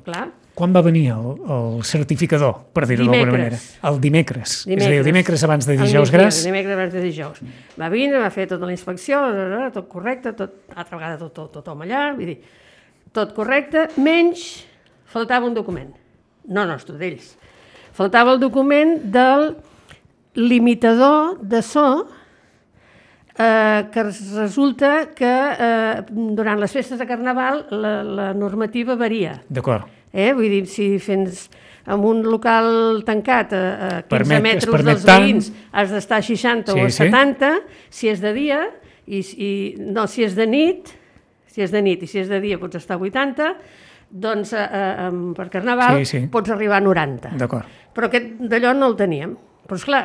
clar. quan va venir el, el certificador, per dir-ho d'alguna manera? Dimecres. El dimecres. Dimecres. És a dir, el dimecres abans de Al dijous migdia, gras. Dimecres abans de dijous. Va vindre, va fer tota la inspecció, tot correcte, tot, altra vegada tot, tot, tothom allà, vull dir, tot correcte, menys faltava un document. No nostre, d'ells. Faltava el document del limitador de so, eh, que resulta que eh, durant les festes de Carnaval la, la normativa varia. D'acord. Eh? Vull dir, si fens en un local tancat a, a quinze Permet- es metres permet dels tant. veïns has d'estar a seixanta Sí, o a sí. setanta, si és de dia, i, i, no, si és de nit, si és de nit i si és de dia pots estar a vuitanta, doncs eh, eh, per Carnaval Sí, sí. pots arribar a noranta. D'acord. Però aquest d'allò no el teníem. Però esclar,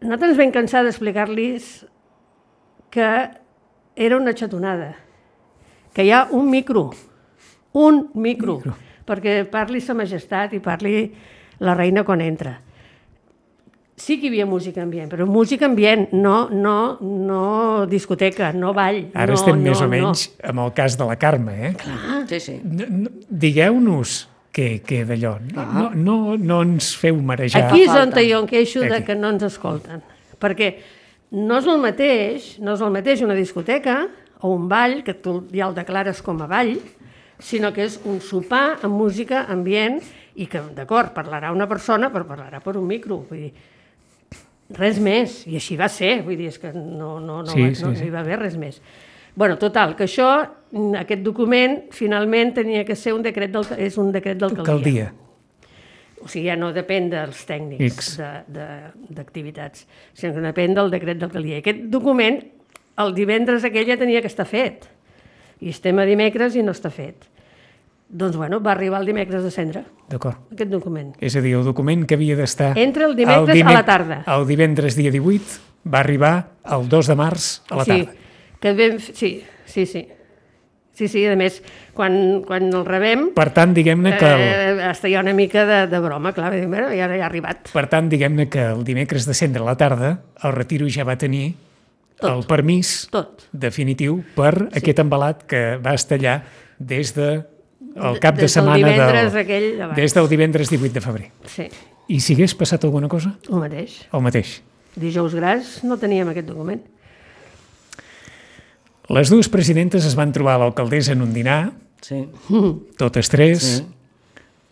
nosaltres ens vam cansar d'explicar-los que era una xatonada, que hi ha un micro, un micro, Micro. perquè parli sa majestat i parli la reina quan entra. Sí que hi havia música ambient, però música ambient, no, no, no discoteca, no ball. Ara no, estem no, més o no. menys amb el cas de la Carme, eh? Sí, sí. No, no, digueu-nos què, què d'allò. No, no, no, no ens feu marejar. Aquí és on falta. jo em queixo de Aquí. que no ens escolten. Perquè no és el mateix, no és el mateix una discoteca o un ball, que tu ja el declares com a ball, sinó que és un sopar amb música ambient i que, d'acord, parlarà una persona, però parlarà per un micro. Vull dir, res més. I així va ser. Vull dir, és que no, no, no, Sí, va, sí, no, sí. no hi va haver res més. Bueno, total, que això, aquest document, finalment tenia que ser un decret del, és un decret d'alcaldia. Alcaldia. O sigui, ja no depèn dels tècnics X. de- de- d'activitats, sinó que depèn del decret d'alcaldia. Aquest document, el divendres aquell ja tenia que estar fet. I estem a dimecres i no està fet. Doncs, bueno, va arribar el dimecres de cendre, D'acord. aquest document. És a dir, el document que havia d'estar... Entra el dimecres a la tarda. El divendres dia divuit va arribar el dos de març a la sí, tarda. que vam, f- sí, sí, sí. Sí, sí, a més, quan, quan el rebem, Per tant, diguem-ne que el, eh, hasta hi ha una mica de, de broma, clar, vam dir, "Bueno, ja, ja ha arribat. per tant, diguem-ne que el dimecres de cendre a la tarda el Retiro ja va tenir Tot. el permís Tot. definitiu per sí. aquest embalat que va estar allà des de el cap de des del setmana divendres del, aquell abans. des del divendres divuit de febrer. Sí, I si hagués passat alguna cosa? el mateix. El mateix. Dijous gras no teníem aquest document. Les dues presidentes es van trobar a l'alcaldessa en un dinar, Sí. totes tres, Sí.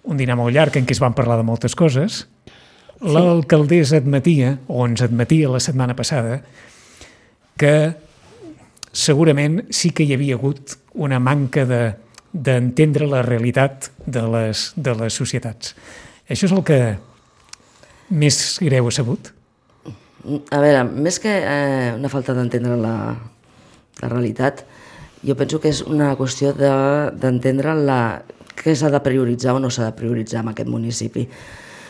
un dinar molt llarg en què es van parlar de moltes coses. L'alcaldessa admetia, o ens admetia la setmana passada, que segurament sí que hi havia hagut una manca de d'entendre la realitat de les, de les societats. Això és el que més greu ha sabut? A veure, més que eh, una falta d'entendre la, la realitat, jo penso que és una qüestió d'entendre de, la què s'ha de prioritzar o no s'ha de prioritzar en aquest municipi.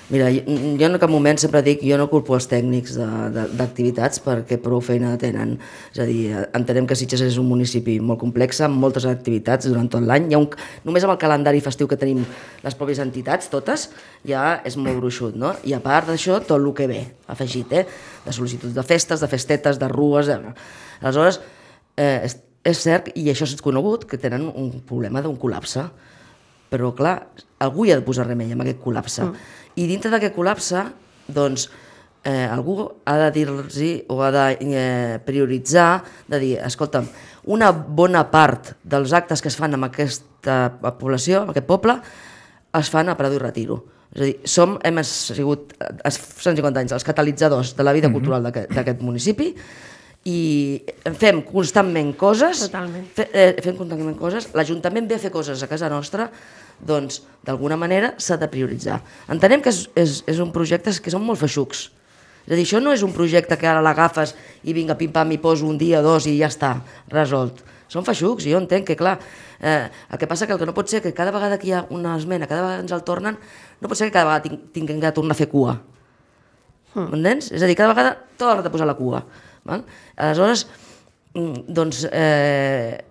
Mira, jo, jo en cap moment sempre dic, jo no culpo els tècnics d'activitats perquè prou feina tenen. És a dir, entenem que Sitges és un municipi molt complex, amb moltes activitats durant tot l'any. Hi ha un, només amb el calendari festiu que tenim les pròpies entitats, totes, ja és molt gruixut, no? I a part d'això, tot el que ve, afegit, eh? De sol·licituds de festes, de festetes, de rues... De... Aleshores, eh, és, és cert, i això és conegut, que tenen un problema d'un col·lapse. Però, clar, algú hi ha de posar remei amb aquest col·lapse. Mm. I dintre d'aquest col·lapse, doncs, eh, algú ha de dir-los o ha de eh, prioritzar, de dir, escolta'm, una bona part dels actes que es fan amb aquesta població, amb aquest poble, es fan a Prado i Retiro. És a dir, som, hem sigut, cent cinquanta anys, els catalitzadors de la vida mm-hmm. cultural d'aquest municipi, i fem constantment coses, fe, eh, fem constantment coses, l'Ajuntament ve a fer coses a casa nostra, doncs d'alguna manera s'ha de prioritzar. Entenem que és, és, és un projecte que són molt feixucs. És a dir, això no és un projecte que ara l'agafes i vinga, pim-pam, i poso un dia, dos i ja està, resolt. Són feixucs i jo entenc que, clar, eh, el que passa que el que no pot ser que cada vegada que hi ha una esmena, cada vegada ens el tornen, no pot ser que cada vegada tinguem que tornar a fer cua. Mm. M'entens? És a dir, cada vegada torna a posar la cua. Val? Aleshores, doncs, eh,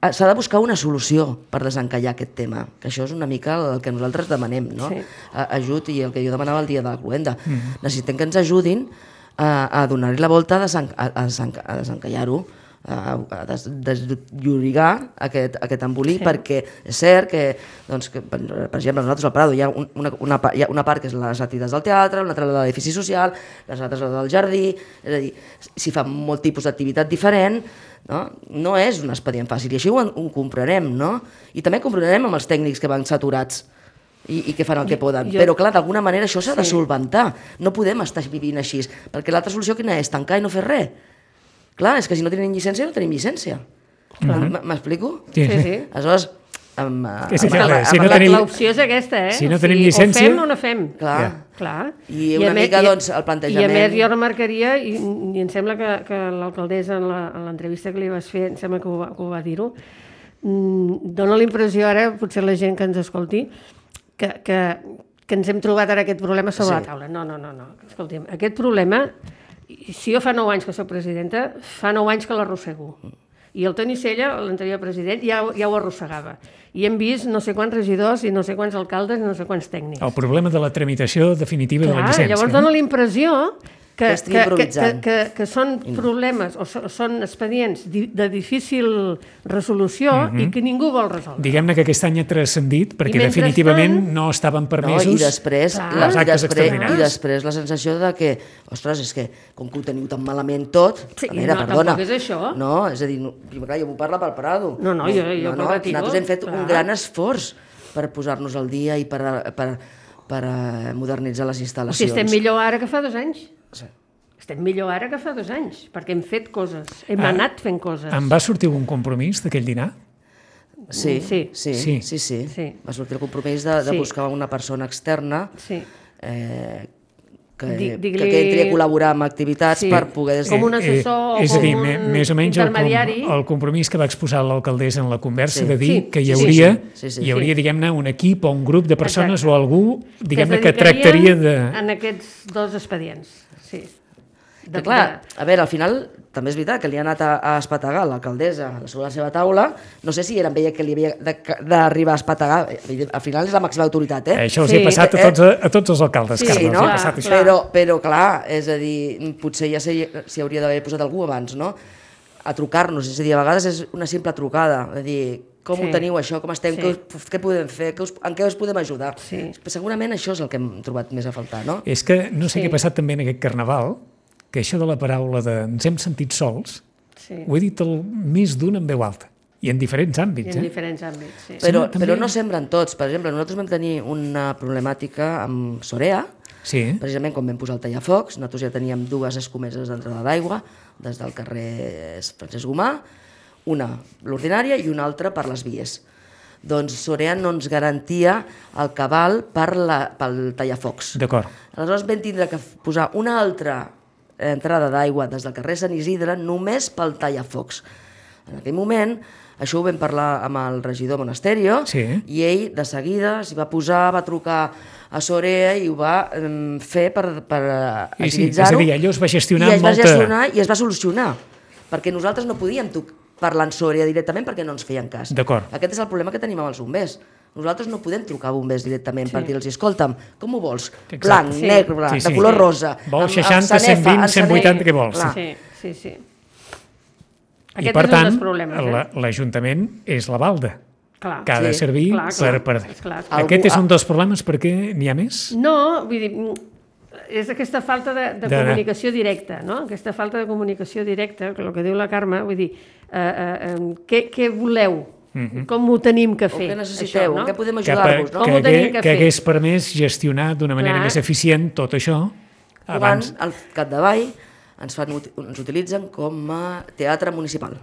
s'ha de buscar una solució per desencallar aquest tema, que això és una mica el que nosaltres demanem, no? Sí. Ajut, i el que jo demanava el dia de la cloenda. Mm. Necessitem que ens ajudin a, a donar-hi la volta, a, desen, a, a, desen, a desencallar-ho, a, a des, desllorigar aquest, aquest embolic, sí. Perquè és cert que, doncs, que, per exemple, nosaltres al Prado hi ha una, una, hi ha una part que és les activitats del teatre, una altra de l'edifici social, les altres del jardí, és a dir, si fa molt tipus d'activitat diferent, no? No és un expedient fàcil, i així ho, ho comprenem, no? I també comprenem amb els tècnics que van saturats i, i que fan el que poden, jo, però clar, d'alguna manera això s'ha sí. de solventar, no podem estar vivint així, perquè l'altra solució quina és? Tancar i no fer res. Clar, és que si no tenim llicència, no tenim llicència. Mm-hmm. M'explico? Sí, sí. sí. Aleshores, amb, amb, sí, amb, amb, si no tenim... l'opció és aquesta, eh? Si no o tenim sigui, llicència... O fem o no fem. Clar. Ja. Clar. I una I mica, més, doncs, el plantejament... I a més jo remarcaria, i, i em sembla que, que l'alcaldessa en l'entrevista que li vas fer, em sembla que ho va, que ho va dir-ho, mmm, dona la impressió ara, potser la gent que ens escolti, que, que, que ens hem trobat ara aquest problema sobre sí. la taula. No, no, no, no. Escolti'm, aquest problema... Si jo fa nou anys que soc presidenta, fa nou anys que l'arrossego. I el Toni Sella, l'anterior president, ja, ja ho arrossegava. I hem vist no sé quants regidors i no sé quants alcaldes i no sé quants tècnics. El problema de la tramitació definitiva Clar, de la llicència. Llavors dona la impressió que, que, que, que, que, que són problemes o són expedients de difícil resolució mm-hmm. i que ningú vol resoldre. Diguem-ne que aquest any ha transcendit perquè definitivament no estaven permesos no, i després, les i actes després, extraordinaris. I després la sensació de que, ostres, és que com que ho teniu tan malament tot, sí, a veure, no, perdona. Tampoc és això. No, és a dir, no, clar, jo m'ho parla pel Prado. No, no, jo, jo no, no, nosaltres hem fet clar. un gran esforç per posar-nos al dia i per, per, per modernitzar les instal·lacions. O sigui, estem millor ara que fa dos anys. Sí. Estem millor ara que fa dos anys, perquè hem fet coses, hem ah, anat fent coses. Em va sortir un compromís d'aquell dinar? Sí, sí, sí, sí, sí, sí. sí. Va sortir el compromís de, de sí. buscar una persona externa sí. eh, que, que, que entri a col·laborar amb activitats sí. per poder... Com un assessor eh, eh, o com dir, un més o menys intermediari. El, el compromís que va exposar l'alcaldessa en la conversa sí. de dir sí. que hi sí, hauria, sí, sí, sí. hi hauria diguem-ne, un equip o un grup de persones Exacte. o algú diguem-ne que, que tractaria de... en aquests dos expedients, sí. De, clar, a veure, al final també és veritat que li ha anat a, a espategar l'alcaldessa sobre la seva taula, no sé si era amb ella que li havia d'arribar a espategar, al final és la màxima autoritat, eh? Això els sí. ha passat a tots, a, a tots els alcaldes, sí, Carles, no? ha passat això. Però, però clar, és a dir, potser ja s'hi hauria d'haver posat algú abans, no? a trucar-nos, és a dir, a vegades és una simple trucada, és a dir, com sí. ho teniu això, com estem, sí. què, us, què podem fer, què us, en què us podem ajudar. Sí. Segurament això és el que hem trobat més a faltar, no? És que no sé Sí. què ha passat també en aquest carnaval, que això de la paraula de ens hem sentit sols, Sí. ho he dit el més d'un en veu alta, i en diferents I àmbits. en Eh? diferents àmbits, sí. Però, Sí, també- però no sembren tots. Per exemple, nosaltres vam tenir una problemàtica amb Sorea, Sí, precisament quan vam posar el tallafocs, nosaltres ja teníem dues escomeses d'entrada d'aigua des del carrer Francesc Gomà, una l'ordinària i una altra per les vies. Doncs Sorea no ens garantia el cabal per la, pel tallafocs. d'acord. Aleshores vam tindre que posar una altra entrada d'aigua des del carrer Sant Isidre només pel tallafocs. En aquell moment, això ho vam parlar amb el regidor Monasterio, Sí. i ell de seguida s'hi va posar, va trucar a Sorea i ho va eh, fer per, per Sí, sí, agilitzar-ho. és a dir, allò es va gestionar I es va molta- gestionar i es va solucionar, perquè nosaltres no podíem toc- parlar amb Sorea directament perquè no ens feien cas. D'acord. Aquest és el problema que tenim amb els bombers. Nosaltres no podem trucar a bombers directament sí. per dir-los, escolta'm, com ho vols? Exacte. Blanc, Sí. negre, blanc, Sí, sí. de color rosa. Vols amb- amb seixanta, cent sanefa, vint, amb cent vuitanta, què vols? Clar. Sí, sí, sí. I Aquest per és un tant, dels problemes, eh? la- l'Ajuntament és la balda, Clar. que ha de Sí. servir Clar, clar, per... per... és clar. Aquest Algú- és un dels problemes perquè n'hi ha més? No, vull dir, és aquesta falta de, de, De- comunicació directa, no? Aquesta falta de comunicació directa, que el que diu la Carme, vull dir, eh, eh, eh, què, què voleu? Mm-hmm. Com ho tenim que O fer? què necessiteu? això, no? En què podem Que, per, ajudar-vos? No? Com que, ho tenim hagués, que que fer? hagués permès gestionar d'una manera Clar. més eficient tot això Quan abans. al capdavall ens, fan, ut- ens utilitzen com a teatre municipal.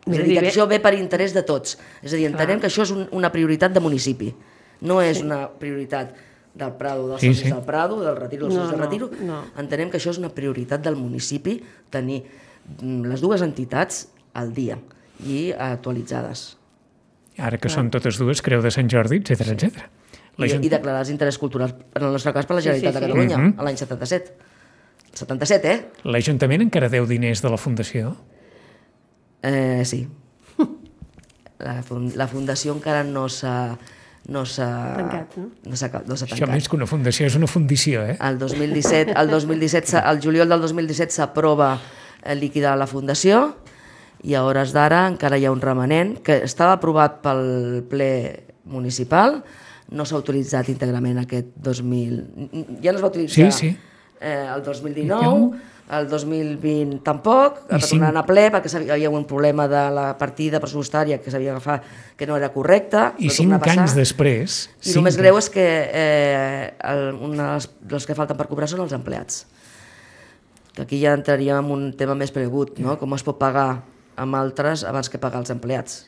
És És a a dir, dir, que bé- això ve per interès de tots. És a dir, entenem que això és un, una prioritat de municipi. No és una prioritat del Prado, dels Sí, socis sí. del Prado, del Retiro, dels No, socis del no, Retiro. no. Entenem que això és una prioritat del municipi, tenir mm, les dues entitats al dia i actualitzades. Ara que són totes dues, Creu de Sant Jordi, etcètera, etcètera. I, I declarar els interessos culturals, en el nostre cas, per la Sí, Generalitat sí, de sí. Catalunya, Mhm. a l'any setanta-set. setanta-set, eh? L'Ajuntament encara deu diners de la Fundació? Eh, sí. La, fun la fundació encara no s'ha no s'ha Tancat, no? no s'ha no s'ha Això tancat. més que una fundació és una fundició, eh? El dos mil disset, el dos mil disset, s'ha- el juliol del dos mil disset s'aprova eh, liquidar la fundació i a hores d'ara encara hi ha un remanent que estava aprovat pel ple municipal, no s'ha utilitzat íntegrament aquest dos mil... Ja no es va utilitzar Sí, sí. Eh, el dos mil dinou, el dos mil vint tampoc, I va cinc- tornar a anar a ple perquè hi havia un problema de la partida pressupostària que s'havia agafat que no era correcta. I va tornar cinc a passar. anys després... I cinc el més greu és que eh, el, una dels, dels que falten per cobrar són els empleats. Que aquí ja entraríem en un tema més pregut, no? Com es pot pagar amb altres abans que pagar els empleats.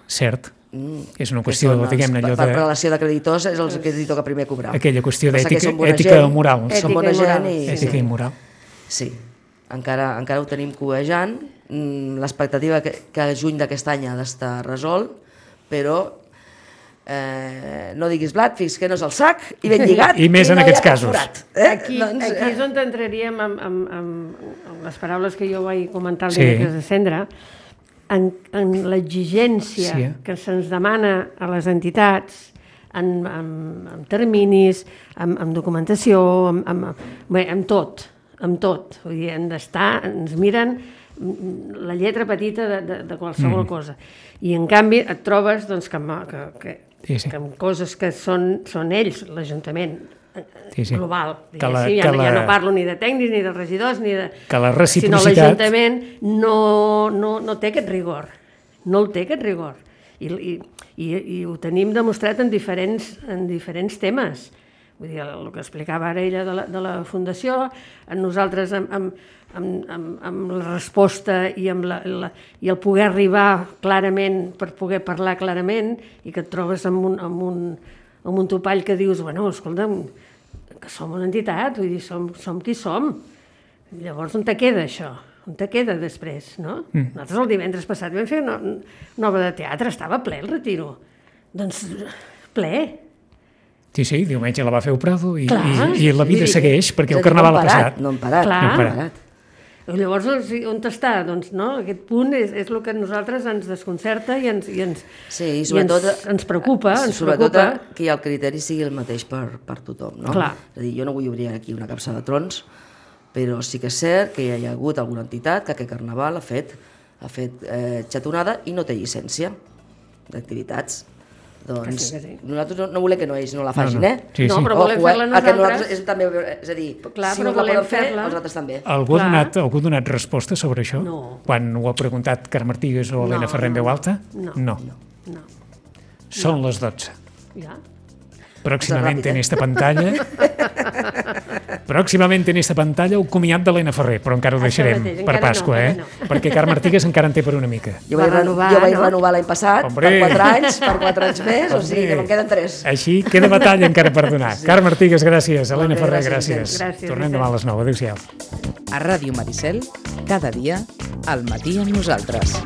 Cert. Mm. És una Que qüestió, són els- diguem-ne, allò per, per de... relació de creditors és el que li toca primer cobrar. Aquella qüestió Passa que d'ètica són bona ètica gent, o moral. Ètica Són bona i moral, gent i... sí, Ètica i moral. Sí, encara, encara ho tenim covejant. Mm, L'expectativa que, que a juny d'aquest any ha d'estar resolt, però eh, no diguis blat fins que no és el sac i ben lligat. I més en no hi aquests ha casos. forat, eh? Aquí, Doncs, aquí eh, és on entraríem amb, amb, amb, amb les paraules que jo vaig comentar el Sí. dimecres de cendre, en, en l'exigència Sí. que se'ns demana a les entitats en, en, en terminis, en, en documentació, en, en, bé, en tot, en tot. Vull dir, hem d'estar, ens miren la lletra petita de, de, de qualsevol mm. cosa. I en canvi et trobes doncs, que, que, que, Sí, sí. que amb coses que són, són ells, l'Ajuntament, Sí, sí. global. Que la- Sí, ja, que no- ja la- no parlo ni de tècnics, ni de regidors, ni de... Que la Sinó reciprocitat... l'Ajuntament no, no, no té aquest rigor. No el té, aquest rigor. I, i, i, i ho tenim demostrat en diferents, en diferents temes. Vull dir, el que explicava ara ella de la, de la Fundació, en nosaltres amb, amb, amb, amb, amb la resposta i, amb la, la, i el poder arribar clarament, per poder parlar clarament, i que et trobes amb un, amb un, amb un topall que dius, bueno, escolta'm, que som una entitat, vull dir, som, som qui som. Llavors, on te queda això? On te queda després, no? Mm. Nosaltres el divendres passat vam fer una, una obra de teatre, estava ple el Retiro. Doncs, ple. Sí, sí, diumenge la va fer el Prado i, Clar. i, i la vida Vull dir, segueix perquè és a el dir, Carnaval no ha hem parat, passat. No hem parat, Clar. no hem No parat. Llavors, on està? Doncs, no? Aquest punt és, és el que a nosaltres ens desconcerta i ens, i ens, Sí, i i sobretot... ens, ens preocupa, ens sobretot preocupa. que el criteri sigui el mateix per, per tothom, no? Clar. És a dir, jo no vull obrir aquí una capsa de trons, però sí que és cert que hi ha hagut alguna entitat que aquest Carnaval ha fet ha fet eh, xatonada i no té llicència d'activitats. Doncs Que sí, que sí. nosaltres no, no volem que no ells no la facin, No, no. eh? Sí, No, sí. però volem Ojo, eh? fer-la El que nosaltres. nosaltres és, també, és a dir, Clar, si però no la volem poden fer, fer-la. els altres també. Algú ha, Clar. donat, algú ha donat resposta sobre això? No. Quan ho ha preguntat Carme Artigas o Helena No, Ferrer en no, veu alta? no. No. No, Són les dotze. ja. Pròximamente ràpid, en eh? esta pantalla pròximament en esta pantalla el comiat d'Helena Ferrer, però encara ho Això deixarem mateix, per encara Pasqua, no, eh? encara no. Perquè Carme Artigas encara en té per una mica. Jo Va vaig, reno renovar, jo vaig no? renovar l'any passat, Hombre. per quatre anys, per quatre anys més, o sigui que me'n queden tres. Així queda batalla encara per donar. Sí. Carme Artigas, gràcies. Helena bé, Ferrer, gràcies, gràcies. Gràcies, Tornem Vicent. demà a les nou. Adéu-siau. A Ràdio Maricel, cada dia, al matí amb nosaltres.